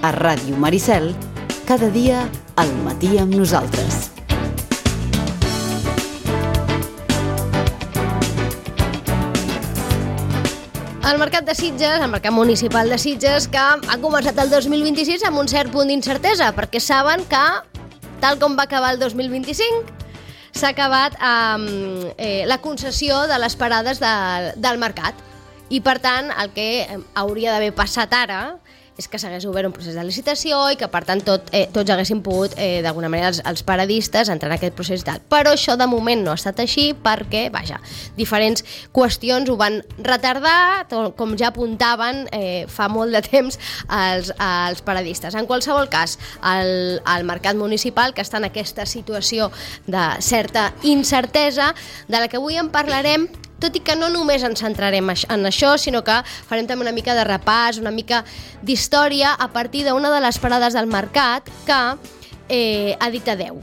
A Ràdio Maricel, cada dia al matí amb nosaltres. El mercat de Sitges, el mercat municipal de Sitges, que ha començat el 2026 amb un cert punt d'incertesa, perquè saben que, tal com va acabar el 2025, s'ha acabat la concessió de les parades del mercat. I, per tant, el que hauria d'haver passat ara és que s'hagués obert un procés de licitació i que, per tant, tots haguessin pogut, d'alguna manera, els paradistes entrar en aquest procés i tal. Però això, de moment, no ha estat així perquè, vaja, diferents qüestions ho van retardar, com ja apuntaven fa molt de temps els paradistes. En qualsevol cas, el mercat municipal, que està en aquesta situació de certa incertesa, de la que avui en parlarem, tot i que no només ens centrarem en això, sinó que farem també una mica de repàs, una mica d'història a partir d'una de les parades del mercat que ha dit adeu.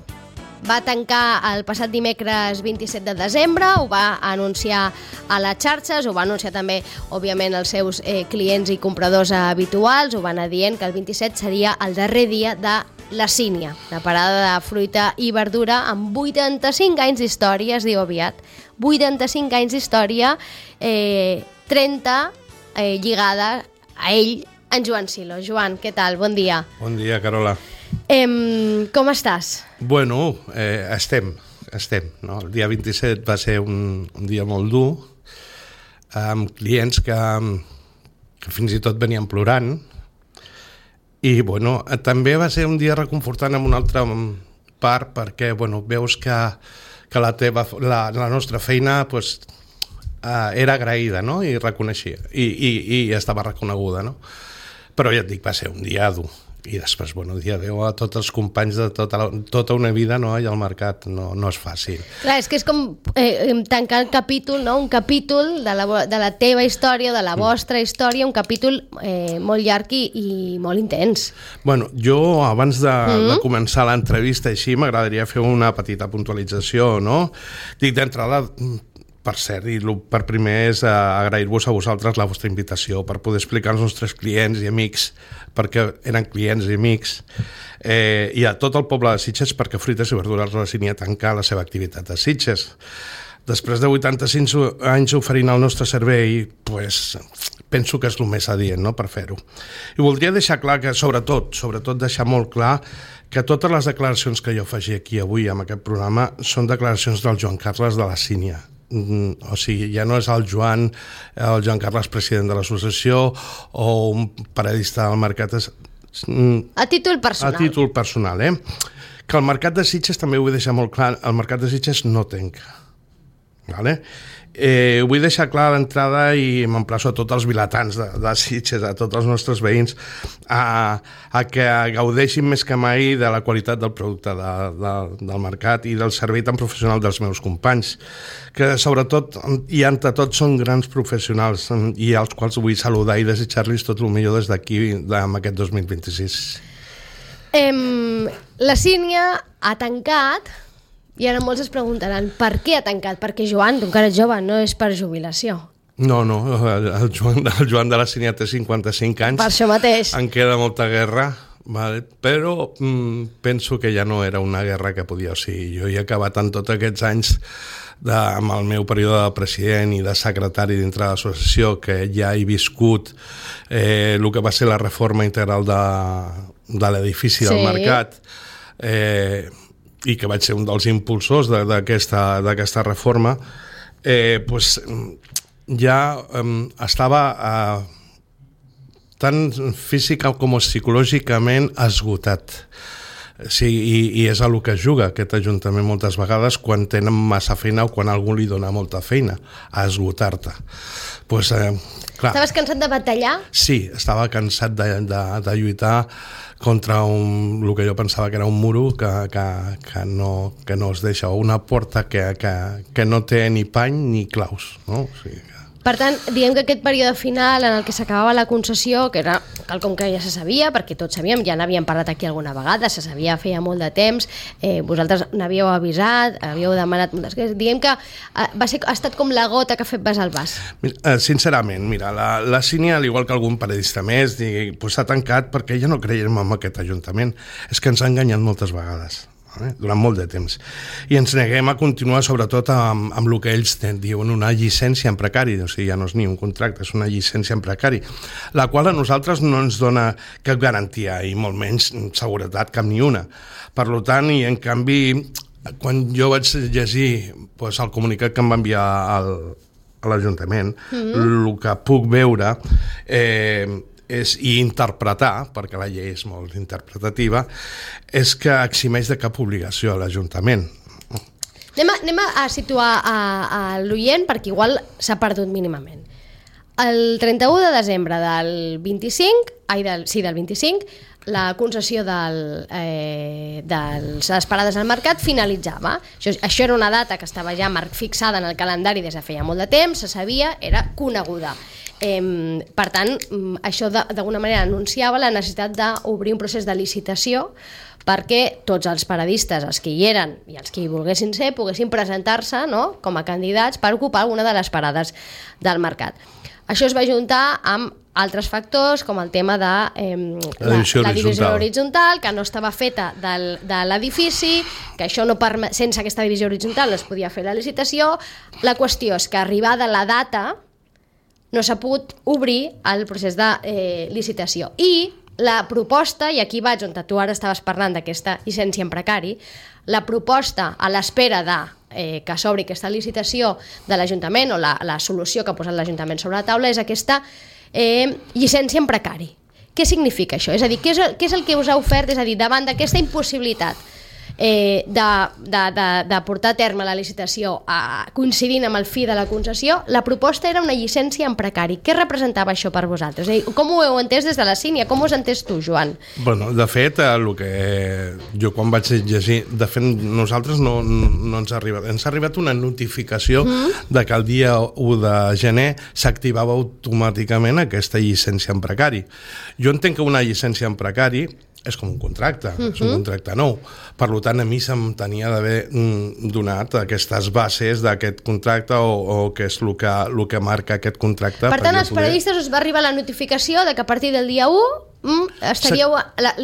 Va tancar el passat dimecres 27 de desembre, ho va anunciar a les xarxes, ho va anunciar també, òbviament, els seus clients i compradors habituals, ho va anar dient que el 27 seria el darrer dia de la Sínia, la parada de fruita i verdura amb 85 anys d'història, es diu aviat, 85 anys d'història, 30 lligada a ell, en Joan Silo. Joan, què tal? Bon dia. Bon dia, Carola. Com estàs? Bueno, estem, no? El dia 27 va ser un dia molt dur, amb clients que fins i tot venien plorant, i bueno, també va ser un dia reconfortant en una altra part, perquè bueno, veus que la nostra feina pues, era agraïda, no? I reconeixia, i estava reconeguda, no? Però ja et dic, va ser un dia dur. I després, bueno, dia adeu a tots els companys de tota una vida, no? I al mercat no és fàcil. Clar, és que és com tancar el capítol, no? Un capítol de la teva història, de la vostra història, un capítol molt llarg i molt intens. Bueno, jo abans de començar l'entrevista així m'agradaria fer una petita puntualització, no? Dic d'entrada, per cert, i per primer és agrair-vos a vosaltres la vostra invitació per poder explicar als nostres clients i amics, perquè eren clients i amics, i a tot el poble de Sitges, perquè Fruites i Verdures la Sínia tancar la seva activitat a Sitges. Després de 85 anys oferint el nostre servei, pues, penso que és el més adient, no?, per fer-ho. I voldria deixar clar que, sobretot deixar molt clar que totes les declaracions que jo faig aquí avui amb aquest programa són declaracions del Joan Carles de la Sínia. O sigui, ja no és el Joan Carles, president de l'associació, o un paradista del mercat. A títol personal. A títol personal, Que el mercat de Sitges, també ho vull deixar molt clar, el mercat de Sitges no tanca. Vale? Vull deixar clar d'entrada i m'emplaço a tots els vilatans de Sitges, a tots els nostres veïns, a que gaudeixin més que mai de la qualitat del producte del mercat i del servei tan professional dels meus companys, que sobretot i entre tots són grans professionals i als quals vull saludar i desitjar-los tot el millor des d'aquí amb aquest 2026. La Sínia ha tancat. I ara molts es preguntaran, per què ha tancat? Perquè, Joan, tu encara ets jove, no és per jubilació. No, el Joan de la Sínia té 55 anys. Per això mateix. En queda molta guerra, vale? Però penso que ja no era una guerra que podia... O sigui, jo he acabat en tots aquests anys amb el meu període de president i de secretari dintre de l'associació, que ja he viscut el que va ser la reforma integral de l'edifici del mercat, i que vaig ser un dels impulsors d'aquesta reforma, pues, ja estava tant física com psicològicament esgotat. Sí, i és a lo que juga aquest Ajuntament moltes vegades quan tenen massa feina o quan algú li dona molta feina, a esgotar-te. Pues, clar. Estaves cansat de batallar? Sí, estava cansat de lluitar contra el que jo pensava que era un muro que no es deixa, o una porta que no té ni pany ni claus, no? O sigui, Per tant, diem que aquest període final en el que s'acabava la concessió, que era quelcom que ja se sabia, perquè tots sabíem, ja n'havíem parlat aquí alguna vegada, se sabia feia molt de temps, vosaltres n'havíeu avisat, havíeu demanat moltes coses, diguem que ha estat com la gota que ha fet vessar el vas. Sincerament, mira, la Sínia, al igual que algun periodista més, s'ha tancat perquè ja no creiem en aquest Ajuntament. És que ens ha enganyat moltes vegades. Durant molt de temps. I ens neguem a continuar sobretot amb el que ells diuen una llicència en precari, o sigui, ja no és ni un contracte, és una llicència en precari, la qual a nosaltres no ens dona cap garantia i molt menys seguretat, cap ni una. Per tant, i en canvi, quan jo vaig llegir el comunicat que em va enviar a l'Ajuntament, el que puc veure i interpretar, perquè la llei és molt interpretativa, és que eximeix de cap obligació a l'Ajuntament. Anem a situar a l'oient perquè igual s'ha perdut mínimament. El 31 de desembre del 25, la concessió de les parades al mercat finalitzava. Això era una data que estava ja fixada en el calendari des de feia molt de temps, se sabia, era coneguda. Per tant, això d'alguna manera anunciava la necessitat d'obrir un procés de licitació perquè tots els paradistes, els que hi eren i els que hi volguessin ser, poguessin presentar-se com a candidats per ocupar alguna de les parades del mercat. Això es va juntar amb altres factors, com el tema de la divisió horitzontal, que no estava feta de l'edifici, que això sense aquesta divisió horitzontal no es podia fer la licitació. La qüestió és que arribada la data no s'ha pogut obrir el procés de licitació. I la proposta, i aquí vaig on tu ara estaves parlant d'aquesta llicència en precari, la proposta a l'espera que s'obri aquesta licitació de l'Ajuntament o la solució que ha posat l'Ajuntament sobre la taula és aquesta llicència en precari. Què significa això? És a dir, què és el que us ha ofert? És a dir, davant d'aquesta impossibilitat de portar a terme la licitació coincidint amb el fi de la concessió, la proposta era una llicència en precari. Què representava això per vosaltres? Com ho heu entès des de la Sínia? Com ho has entès tu, Joan? De fet, el que jo quan vaig llegir, de fet nosaltres no ens ha arribat. Ens ha arribat una notificació de que el dia 1 de gener s'activava automàticament aquesta llicència en precari. Jo entenc que una llicència en precari és com un contracte, és un contracte nou. Per tant, a mi se'm tenia d'haver donat aquestes bases d'aquest contracte o què és el que marca aquest contracte. Per tant, als periodistes us va arribar la notificació de que a partir del dia 1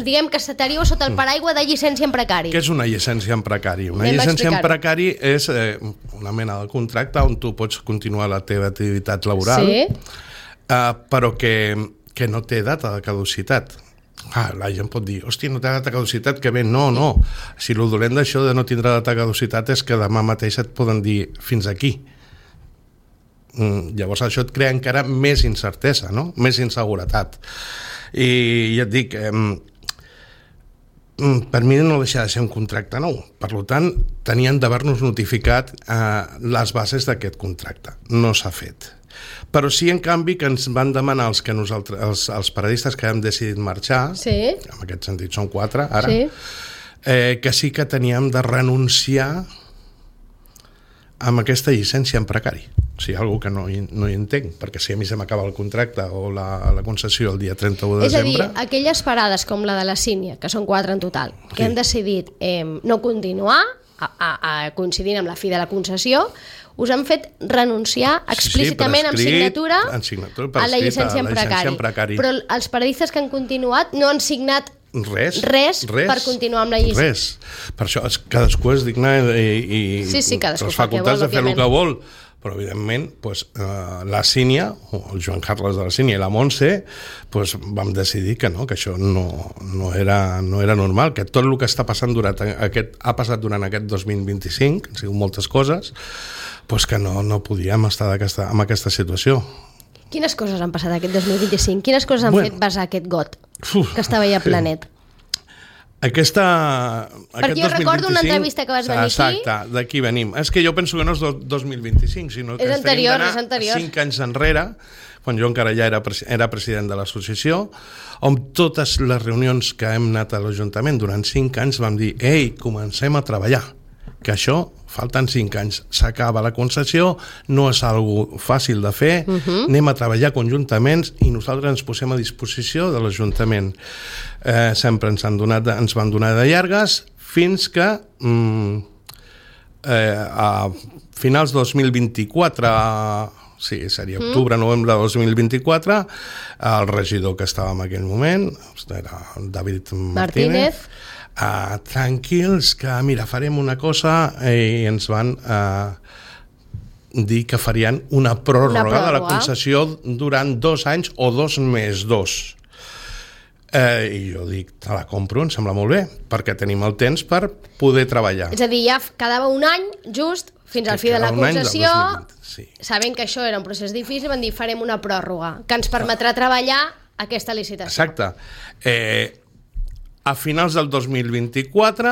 diguem que estaríeu sota el paraigua de llicència en precari. Què és una llicència en precari? Una llicència en precari és una mena de contracte on tu pots continuar la teva activitat laboral, però que no té data de caducitat. La gent pot dir, hòstia, no té data de caducitat, que bé, no. Si el dolent d'això de no tindre data de caducitat és que demà mateix et poden dir fins aquí. Llavors això et crea encara més incertesa, no? Més inseguretat. I ja et dic, per mi no deixa de ser un contracte nou. Per tant, tenien d'haver-nos notificat les bases d'aquest contracte. No s'ha fet. Però sí, en canvi, que ens van demanar els paradistes que hem decidit marxar, en aquest sentit són 4 ara, que sí que teníem de renunciar amb aquesta llicència en precari. O sigui, algo que no hi entenc, perquè si a mi se m'acaba el contracte o la concessió el dia 31 de desembre... És a dir, aquelles parades com la de la Sínia, que són 4 en total, que hem decidit no continuar, coincidint amb la fi de la concessió, us han fet renunciar explícitament amb signatura a la llicència en precari. Però els paradistes que han continuat no han signat res per continuar amb la llicència. Res. Per això cadascú és digne i les facultats de fer el que vol. Però evidentment la Sínia, o el Joan Carles de la Sínia i la Montse, vam decidir que no, que això no era normal, que tot el que està passant ha passat durant aquest 2025, han sigut moltes coses, que no podíem estar en aquesta situació. Quines coses han passat aquest 2025? Quines coses han fet basar aquest got que estava ja planet? Perquè jo recordo una entrevista que vas venir aquí. Exacte, d'aquí venim. És que jo penso que no és 2025, sinó que tenim d'anar 5 anys enrere, quan jo encara ja era president de l'associació, on totes les reunions que hem anat a l'Ajuntament durant 5 anys vam dir, ei, comencem a treballar. que això falten 5 anys, s'acaba la concessió, no és algo fàcil de fer, anem a treballar conjuntament i nosaltres ens posem a disposició de l'Ajuntament. Sempre ens van donar de llargues fins que a finals 2024, sí, seria octubre, novembre de 2024, el regidor que estava en aquell moment, era David Martínez, tranquils, que mira, farem una cosa, i ens van dir que farien una pròrroga de la concessió durant 2 anys o 2 més 2. I jo dic, te la compro, em sembla molt bé, perquè tenim el temps per poder treballar. És a dir, ja quedava un any just fins al fi de la concessió, sabent que això era un procés difícil, van dir, farem una pròrroga que ens permetrà treballar aquesta licitació. Exacte. A finals del 2024,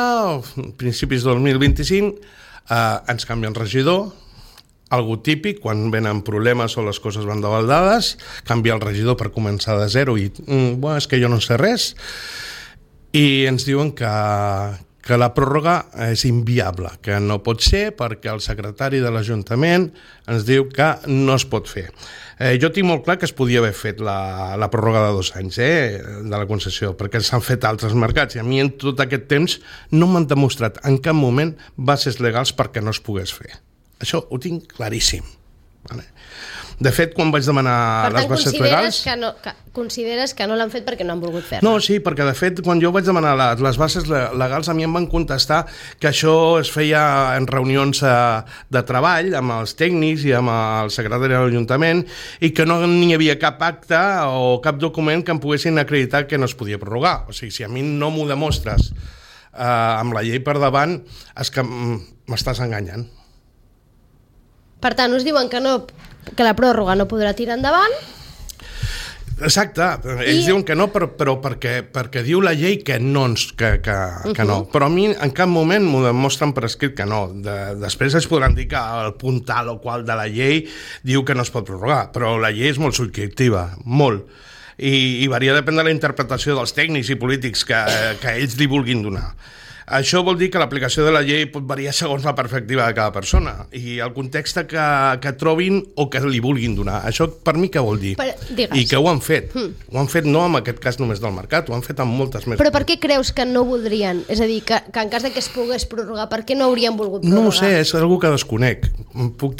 principis del 2025, ens canvien regidor, algo típic, quan venen problemes o les coses van de baldades, canvia el regidor per començar de zero i, és que jo no sé res, i ens diuen que la pròrroga és inviable, que no pot ser perquè el secretari de l'Ajuntament ens diu que no es pot fer. Jo tinc molt clar que es podia haver fet la pròrroga de 2 anys de la concessió, perquè s'han fet altres mercats i a mi en tot aquest temps no m'han demostrat en cap moment bases legals perquè no es pogués fer. Això ho tinc claríssim. De fet, quan vaig demanar les bases legals... Consideres que no l'han fet perquè no han volgut fer-la? No, sí, perquè de fet, quan jo vaig demanar les bases legals, a mi em van contestar que això es feia en reunions de treball amb els tècnics i amb el secretari de l'Ajuntament i que no n'hi havia cap acte o cap document que em poguessin acreditar que no es podia prorrogar. O sigui, si a mi no m'ho demostres amb la llei per davant, és que m'estàs enganyant. Per tant, us diuen que la pròrroga no podrà tirar endavant? Exacte, ells diuen que no, però perquè diu la llei que no. Però a mi en cap moment m'ho demostren per escrit que no. Després es podran dir que el punt tal o qual de la llei diu que no es pot prorrogar, però la llei és molt subjectiva, molt. I varia depèn de la interpretació dels tècnics i polítics que ells li vulguin donar. Això vol dir que l'aplicació de la llei pot variar segons la perspectiva de cada persona i el context que trobin o que li vulguin donar. Això per mi què vol dir? I que ho han fet. Ho han fet no en aquest cas només del mercat, ho han fet amb moltes més. Però per què creus que no voldrien? És a dir, que en cas de que es pogués prorrogar, per què no haurien volgut prorrogar? No ho sé, és una que desconec. Puc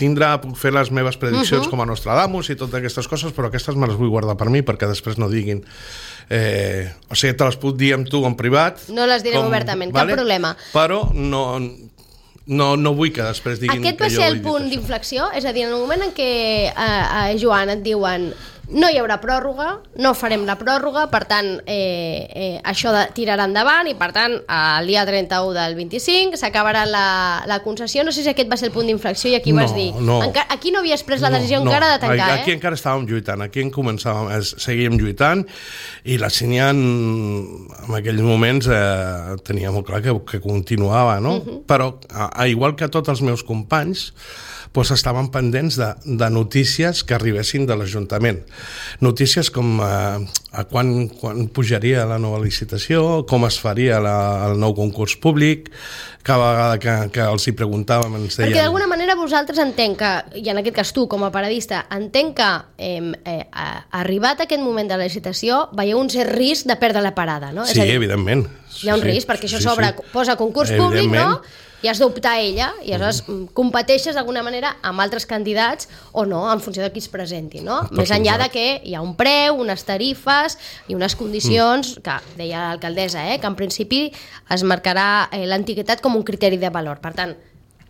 fer les meves prediccions com a Nostradamus i totes aquestes coses, però aquestes me les vull guardar per mi perquè després no diguin... o sigui, te les puc dir amb tu en privat. No les direm obertament, cap problema. Però no vull que després diguin que jo he dit això. Aquest va ser el punt d'inflexió? És a dir, en el moment en què a Joan et diuen no hi haurà pròrroga, no farem la pròrroga, per tant, això tirarà endavant i, per tant, el dia 31 del 25 s'acabarà la concessió. No sé si aquest va ser el punt d'inflexió i aquí vas dir... Aquí no havies pres la decisió encara de tancar, Aquí encara estàvem lluitant, aquí seguíem lluitant i la Sínia en aquells moments tenia molt clar que continuava, no? Però, igual que tots els meus companys, estaven pendents de notícies que arribessin de l'Ajuntament. Notícies com quan pujaria la nova licitació, com es faria el nou concurs públic, cada vegada que els hi preguntàvem ens deien... Perquè d'alguna manera vosaltres entenc que, i en aquest cas tu com a paradista, entenc que arribat a aquest moment de la licitació veieu un cert risc de perdre la parada, no? Sí, evidentment. Hi ha un risc, perquè això posa concurs públic, no? I has d'optar ella, i aleshores competeixes d'alguna manera amb altres candidats o no, en funció de qui es presenti, no? Més enllà de que hi ha un preu, unes tarifes i unes condicions que, deia l'alcaldessa, que en principi es marcarà l'antiguitat com un criteri de valor. Per tant,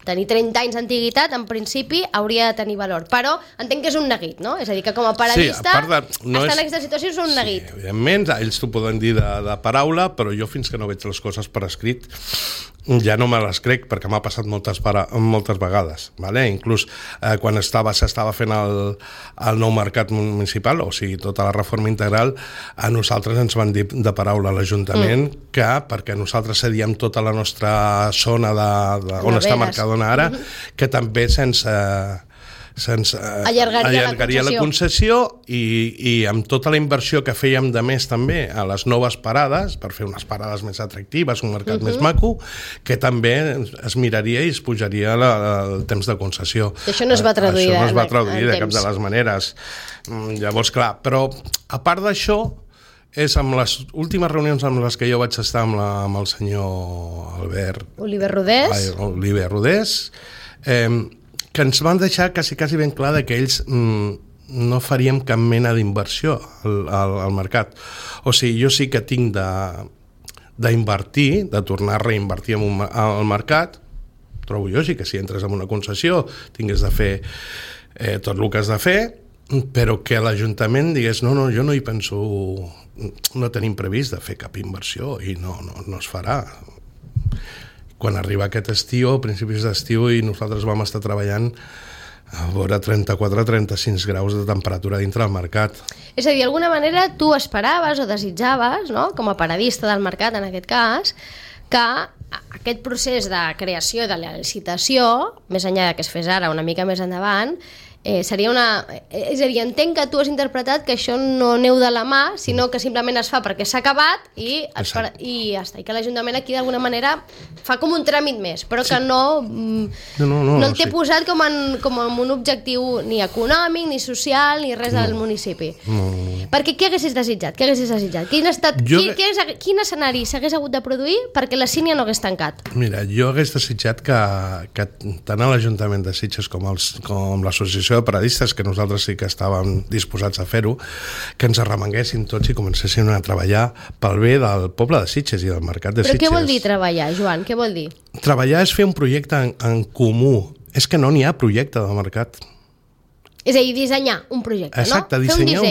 tenir 30 anys d'antiguitat, en principi, hauria de tenir valor. Però entenc que és un neguit, no? És a dir, que com a paradista, estar en aquesta situació és un neguit. Sí, evidentment, ells t'ho poden dir de paraula, però jo fins que no veig les coses per escrit ja no me les crec, perquè m'ha passat moltes vegades. Inclús quan s'estava fent el nou mercat municipal, o sigui, tota la reforma integral, a nosaltres ens van dir de paraula a l'Ajuntament que, perquè nosaltres cedíem tota la nostra zona on està Mercadona ara, que també sense allargaria la concessió i amb tota la inversió que fèiem de més també a les noves parades, per fer unes parades més atractives, un mercat més maco, que també es miraria i es pujaria el temps de concessió. I això no es va traduir de cap de les maneres. Llavors, clar, però a part d'això, és amb les últimes reunions amb les que jo vaig estar amb el senyor Oliver Rodés, que ens van deixar quasi ben clar que ells no faríem cap mena d'inversió al mercat. O sigui, jo sí que tinc d'invertir, de tornar a reinvertir al mercat. Trobo lògic que si entres en una concessió tingues de fer tot el que has de fer, però que l'Ajuntament digués no, jo no hi penso, no tenim previst de fer cap inversió i no es farà. Quan arriba aquest estiu, a principis d'estiu, i nosaltres vam estar treballant a vora 34-35 graus de temperatura dintre del mercat. És a dir, d'alguna manera tu esperaves o desitjaves, no?, com a paradista del mercat en aquest cas, que aquest procés de creació de la licitació, més enllà que es fes ara una mica més endavant, seria una... És a dir, entenc que tu has interpretat que això no neu de la mà, sinó que simplement es fa perquè s'ha acabat i ja està. I que l'Ajuntament aquí d'alguna manera fa com un tràmit més, però que no el té posat com un objectiu ni econòmic, ni social, ni res del municipi. Perquè què haguessis desitjat? Quin escenari s'hagués hagut de produir perquè la Sínia no hagués tancat? Mira, jo hagués desitjat que tant a l'Ajuntament de Sitges com l'Associació de Paradistes, que nosaltres sí que estàvem disposats a fer-ho, que ens arremanguessin tots i comencéssim a treballar pel bé del poble de Sitges i del mercat de Sitges. Però què vol dir treballar, Joan? Què vol dir? Treballar és fer un projecte en comú. És que no n'hi ha projecte de mercat. És a dir, dissenyar un projecte, exacte, no? Dissenyar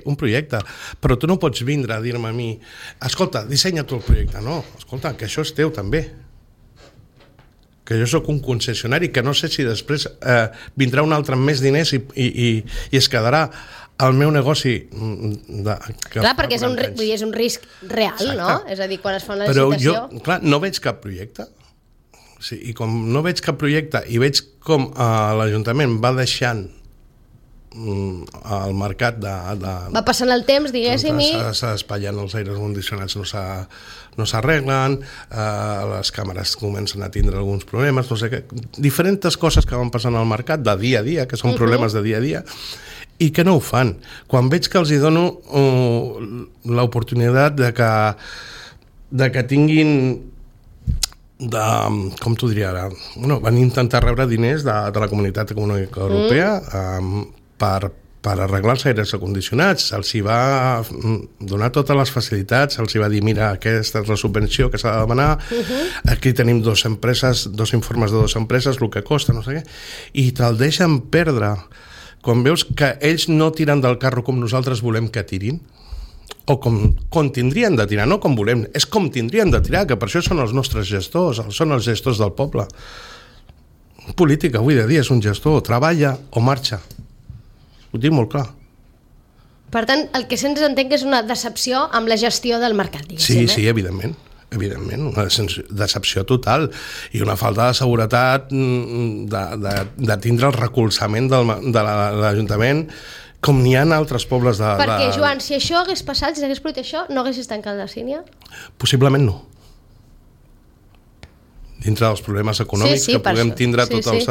un projecte. Però tu no pots vindre a dir-me a mi escolta, dissenya tu el projecte. No, escolta, que això és teu també. Que jo sóc un concessionari, que no sé si després vindrà un altre amb més diners i es quedarà el meu negoci clar, perquè és un risc real. Exacte. No? És a dir, quan es fa una licitació... Però jo, clar, no veig cap projecte. Sí, i com no veig cap projecte i veig com l'Ajuntament va deixant el mercat va passant el temps, diguéssim, i... S'ha espatllant, els aires condicionats no s'arreglen, les càmeres comencen a tindre alguns problemes, no sé què, diferents coses que van passant al mercat de dia a dia, que són problemes de dia a dia, i que no ho fan. Quan veig que els hi dono l'oportunitat de que tinguin com t'ho diria ara, van intentar rebre diners de la Comunitat Econòmica Europea per arreglar els aires acondicionats, se'ls va donar totes les facilitats, se'ls va dir, mira, aquesta és la subvenció que s'ha de demanar, aquí tenim dos informes de 2 empreses, el que costa, no sé què, i te'l deixen perdre. Quan veus que ells no tiren del carro com nosaltres volem que tirin, o com tindrien de tirar, no com volem, és com tindrien de tirar, que per això són els nostres gestors, són els gestors del poble. Política, avui de dia, és un gestor, treballa o marxa. Ho dic molt clar. Per tant, el que sents entenc que és una decepció amb la gestió del mercat, diguéssim. Sí, evidentment, una decepció total i una falta de seguretat de tindre el recolzament de l'Ajuntament com n'hi ha en altres pobles de... Perquè, Joan, si això hagués passat, si s'hagués produït això, no haguessis tancat la Sínia? Possiblement no. Dintre dels problemes econòmics que puguem tindre tots els...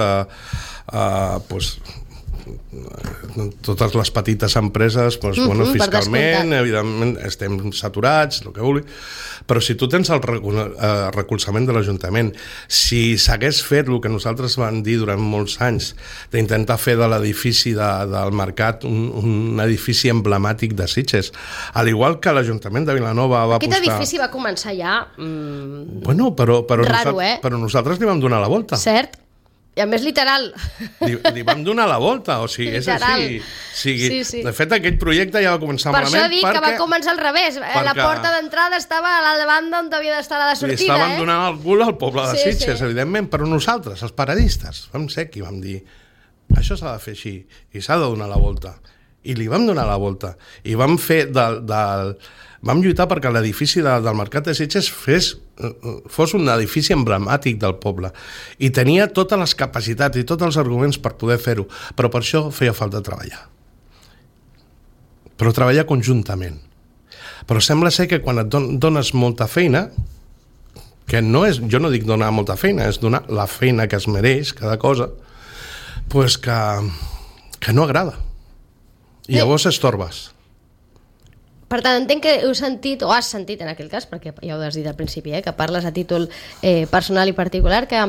totes les petites empreses fiscalment, evidentment estem saturats, el que vulgui, però si tu tens el recolzament de l'Ajuntament, si s'hagués fet el que nosaltres vam dir durant molts anys d'intentar fer de l'edifici del mercat un edifici emblemàtic de Sitges, al igual que l'Ajuntament de Vilanova va apostar... Aquest edifici va començar ja... Bueno, però nosaltres li vam donar la volta. Cert. I a més literal. Li vam donar la volta, o sigui, literal. És així. Sí. De fet, aquest projecte ja va començar malament. Per això dic que va començar al revés. La porta d'entrada estava a la banda on havia d'estar la de sortida. Li estàvem donant el cul al poble de Sitges, evidentment, però nosaltres, els paradistes, vam ser qui vam dir això s'ha de fer així i s'ha de donar la volta. i li vam donar la volta i vam fer vam lluitar perquè l'edifici del Mercat de Sitges fos un edifici emblemàtic del poble i tenia totes les capacitats i tots els arguments per poder fer-ho, però per això feia falta treballar, però treballar conjuntament. Però sembla ser que quan et dones molta feina, que no és, jo no dic donar molta feina, és donar la feina que es mereix cada cosa, pues que no agrada. I llavors estorbes. Per tant, entenc que heu sentit, o has sentit en aquell cas, perquè ja ho has dit al principi, que parles a títol personal i particular, que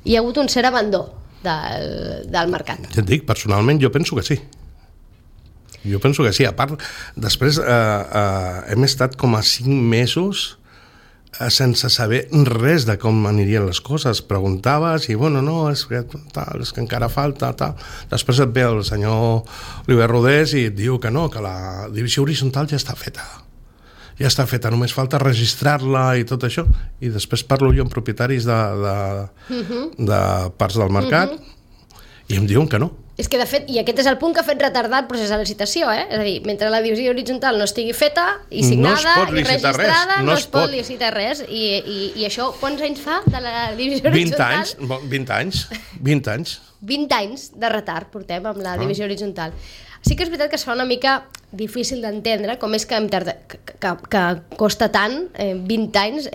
hi ha hagut un cert abandó del mercat. Ja et dic, personalment jo penso que sí. Jo penso que sí. A part, després hem estat com a 5 mesos sense saber res de com anirien les coses. Preguntaves i, bueno, no, és que encara falta, tal. Després et ve el senyor Oliver Rodés i et diu que no, que la divisió horitzontal ja està feta. Ja està feta, només falta registrar-la i tot això. I després parlo jo amb propietaris de parts del mercat i em diuen que no. És que, de fet, i aquest és el punt que ha fet retardar el procés de licitació, És a dir, mentre la divisió horitzontal no estigui feta i signada i registrada, no es pot licitar res. I això, quants anys fa de la divisió horitzontal? 20 anys. 20 anys de retard portem amb la divisió horitzontal. Sí que és veritat que es fa una mica difícil d'entendre com és que costa tant, 20 anys,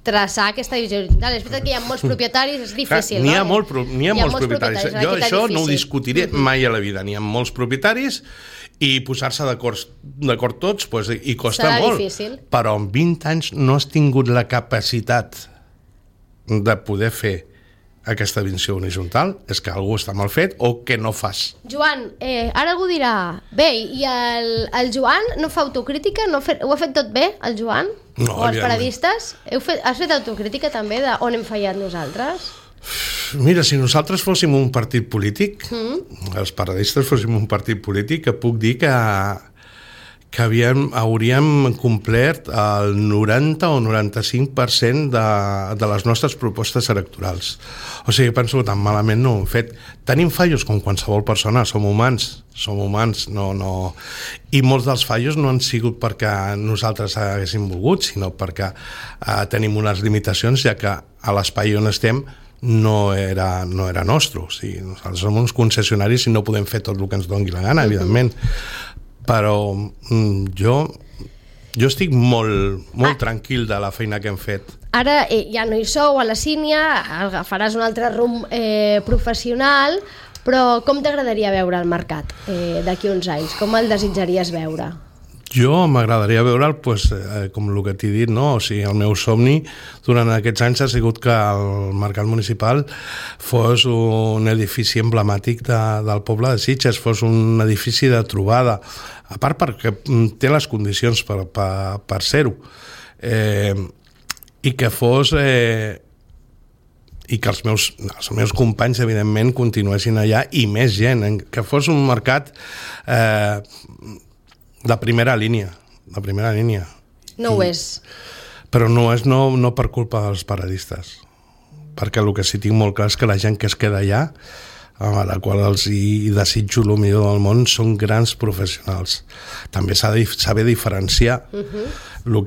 traçar aquesta divisió horitzontal. És veritat que hi ha molts propietaris, és difícil. N'hi ha molts propietaris. Jo això no ho discutiré mai a la vida. N'hi ha molts propietaris i posar-se d'acord tots i costa molt. Difícil. Però en 20 anys no has tingut la capacitat de poder fer aquesta divisió horitzontal, és que algú està mal fet o que no fas. Joan, ara algú dirà, bé, i el Joan no fa autocrítica? Ho ha fet tot bé, el Joan? No, o els paradistes? Has fet autocrítica també d'on hem fallat nosaltres? Mira, si nosaltres fóssim un partit polític, els paradistes fóssim un partit polític, que puc dir que hauríem complert el 90 o 95% de les nostres propostes electorals. O sigui, penso que tan malament no ho hem fet. Tenim fallos com qualsevol persona, som humans, no. I molts dels fallos no han sigut perquè nosaltres haguéssim volgut, sinó perquè tenim unes limitacions, ja que a l'espai on estem no era nostre. O sigui, nosaltres som uns concessionaris i no podem fer tot el que ens doni la gana, evidentment. Però jo estic molt tranquil de la feina que hem fet. Ara ja no hi sou a la Sínia, agafaràs un altre rumb professional, però com t'agradaria veure el mercat d'aquí uns anys? Com el desitjaries veure? Jo m'agradaria veure'l, com el que t'he dit, no? O sigui, el meu somni durant aquests anys ha sigut que el mercat municipal fos un edifici emblemàtic del poble de Sitges, fos un edifici de trobada, a part perquè té les condicions per ser-ho, i que fos... i que els meus companys, evidentment, continuessin allà, i més gent, que fos un mercat... de primera línia. No ho és. Però no és no per culpa dels paradistes, perquè el que sí tinc molt clar és que la gent que es queda allà, a la qual els hi desitjo el millor del món, són grans professionals. També s'ha de saber diferenciar el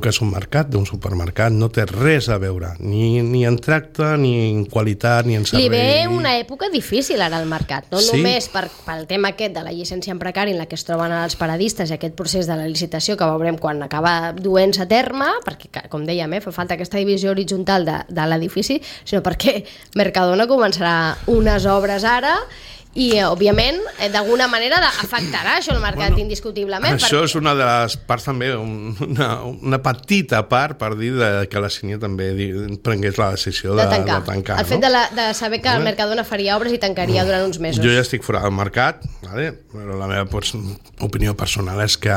que és un mercat d'un supermercat. No té res a veure, ni en tracte, ni en qualitat, ni en servei. Li ve una època difícil ara al mercat, no només pel tema aquest de la llicència en precari en la que es troben els paradistes i aquest procés de la licitació que veurem quan acaba duent-se a terme, perquè, com dèiem, fa falta aquesta divisió horitzontal de l'edifici, sinó perquè Mercadona començarà unes obres ara i, òbviament, d'alguna manera afectarà això el mercat, indiscutiblement. Això és una de les parts també, una petita part per dir que la Sínia també prengués la decisió de tancar. El fet de saber que el Mercadona faria obres i tancaria durant uns mesos. Jo ja estic fora del mercat, però la meva opinió personal és que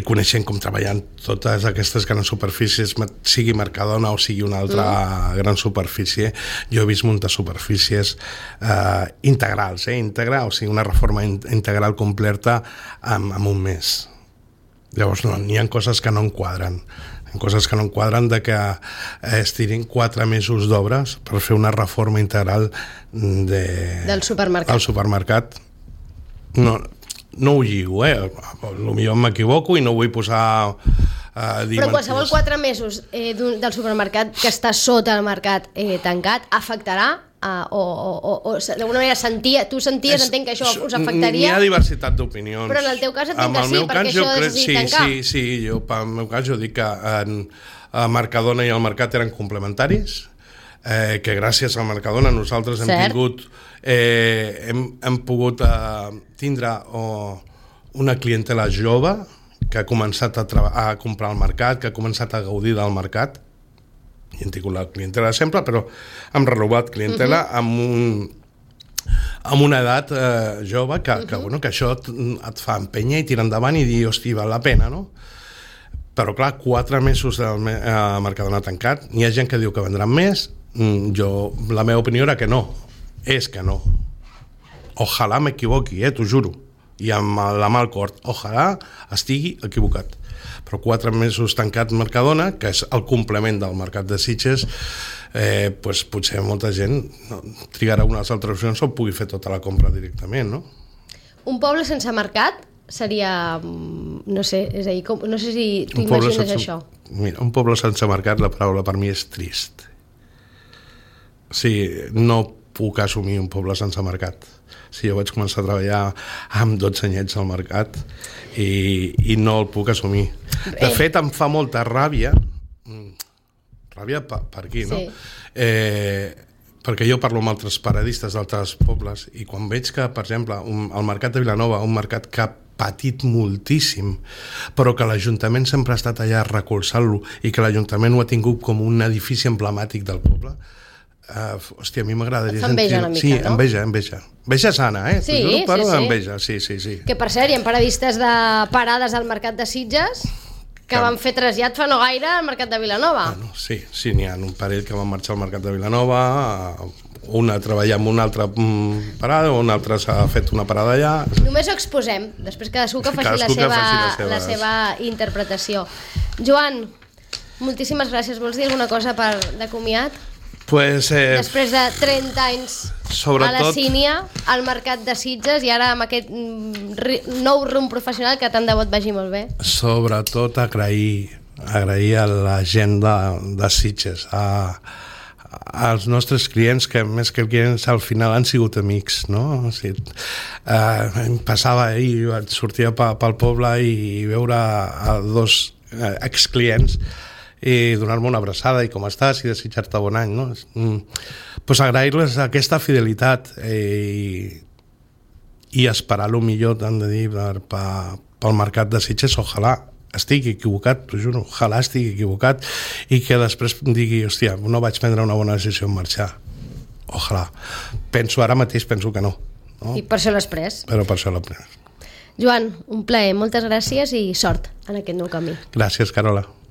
coneixent com treballen totes aquestes grans superfícies, sigui Mercadona o sigui una altra gran superfície, jo he vist moltes superfícies integrals, integrar, o sigui, una reforma integral completa en un mes. Llavors, n'hi ha coses que no enquadren. De que es tirin 4 mesos d'obres per fer una reforma integral del supermercat. No ho lligo, potser m'equivoco i no vull posar però qualsevol 4 mesos del supermercat que està sota el mercat tancat afectarà o d'alguna manera tu senties, entenc que això us afectaria. Hi ha diversitat d'opinions, però en el teu cas entenc que sí, perquè això ha decidit tancar. Sí, en el meu cas jo dic que Mercadona i el mercat eren complementaris, que gràcies al Mercadona nosaltres hem pogut tindre una clientela jove que ha començat a comprar al mercat, que ha començat a gaudir del mercat, i hem tingut la clientela sempre, però hem renovat clientela amb una edat jove que això et fa empènyer i tirar endavant i dir, hosti, val la pena, no? Però clar, 4 mesos del Mercadona tancat, hi ha gent que diu que vendran més, la meva opinió era que no, és que no. Ojalà m'equivoqui, t'ho juro, i amb la mà al cor, ojalà estigui equivocat. Però 4 mesos tancat Mercadona, que és el complement del mercat de Sitges, potser molta gent trigarà unes altres opcions o pugui fer tota la compra directament, no? Un poble sense mercat seria, no sé, és a dir, no sé si tu imagines això. Mira, un poble sense mercat, la paraula per mi és trist. Sí, no puc assumir un poble sense mercat. Sí, jo vaig començar a treballar amb 12 anyets al mercat i no el puc assumir. De fet, em fa molta ràbia per aquí, no? Perquè jo parlo amb altres paradistes d'altres pobles i quan veig que, per exemple, el mercat de Vilanova, un mercat que ha patit moltíssim, però que l'Ajuntament sempre ha estat allà recolzant-lo i que l'Ajuntament ho ha tingut com un edifici emblemàtic del poble, hòstia, a mi m'agradaria sentir... Enveja una mica, sí, no? Enveja. Enveja sana, Sí, però sí. enveja, sí. Que per cert, hi ha paradistes de parades al mercat de Sitges que van fer trasllat fa no gaire al mercat de Vilanova. Bueno, sí, n'hi ha un parell que van marxar al mercat de Vilanova, una treballa en una altra parada, una altra s'ha fet una parada allà. Només ho exposem, després cadascú que faci la seva interpretació. Joan, moltíssimes gràcies. Vols dir alguna cosa de comiat? Després de 30 anys a la Sínia, al mercat de Sitges i ara amb aquest nou rumb professional que tant de bo et vagi molt bé. Sobretot agrair a la gent de Sitges, als nostres clients, que més que clients al final han sigut amics, no? O sigui, em passava ahir, sortia pel poble i veure a 2 exclients i donar-me una abraçada i com estàs i desitjar-te bon any, no? Pues agrair-les aquesta fidelitat i esperar el millor, tant de dir, pel mercat de Sitges. Ojalà estigui equivocat, t'ho juro, ojalà estigui equivocat i que després digui, hòstia, no vaig prendre una bona decisió en marxar. Ojalà. Ara mateix penso que no. I per això l'has pres. Però per això l'he pres. Joan, un plaer, moltes gràcies i sort en aquest nou camí. Gràcies, Carola.